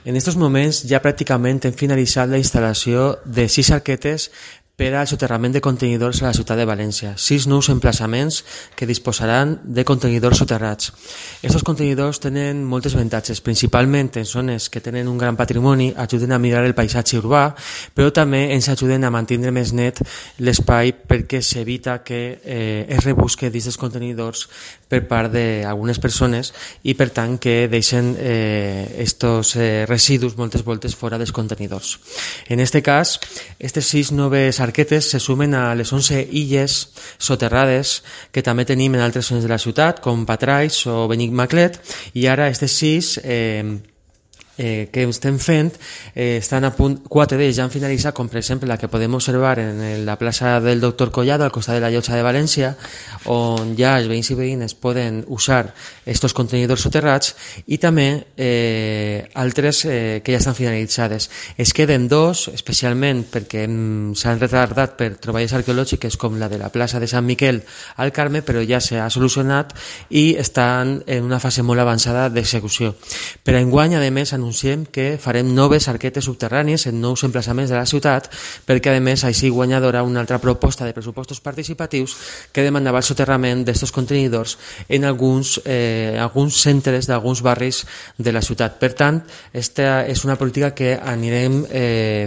En estos moments ja pràcticament hem finalitzat la instal·lació de 6 arquetes per al soterrament de contenidors a la ciutat de València. 6 nous emplaçaments que disposaran de contenidors soterrats. Aquests contenidors tenen moltes avantatges, principalment en zones que tenen un gran patrimoni, ajuden a millorar el paisatge urbà, però també ens ajuden a mantenir més net l'espai perquè s'evita que es rebusque dins dels contenidors per part d'algunes persones i per tant que deixen estos residus moltes voltes fora dels contenidors. En aquest cas, aquestes 6 noves arquetes se sumen a les 11 illes soterrades que també tenim en altres zones de la ciutat, com Patrais o Benigmaclet, i ara aquestes 6 que estem fent estan a punt, 4 d'ells ja han finalitzat, com per exemple la que podem observar en la plaça del Doctor Collado al costat de la Llotja de València, on ja els veïns i veïnes poden usar estos contenidors soterrats, i també altres que ja estan finalitzades. Es queden 2, especialment perquè s'han retardat per troballes arqueològiques, com la de la plaça de Sant Miquel al Carme, però ja s'ha solucionat i estan en una fase molt avançada d'execució. Per enguany, a més, anunciem que farem noves arquetes subterrànies en nous emplaçaments de la ciutat, perquè a més així guanyadora una altra proposta de pressupostos participatius que demanava el soterrament d'aquests contenidors en alguns centres d'alguns barris de la ciutat. Per tant, aquesta és una política que anirem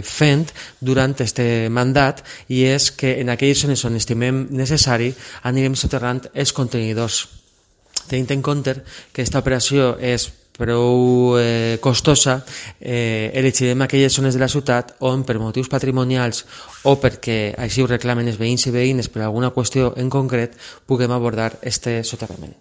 fent durant aquest mandat, i és que en aquelles zones on estimem necessari anirem soterrant els contenidors. Tenint en compte que aquesta operació és prou costosa, elegirem aquelles zones de la ciutat on per motius patrimonials o perquè així ho reclamen els veïns i veïnes per alguna qüestió en concret puguem abordar este soterrament.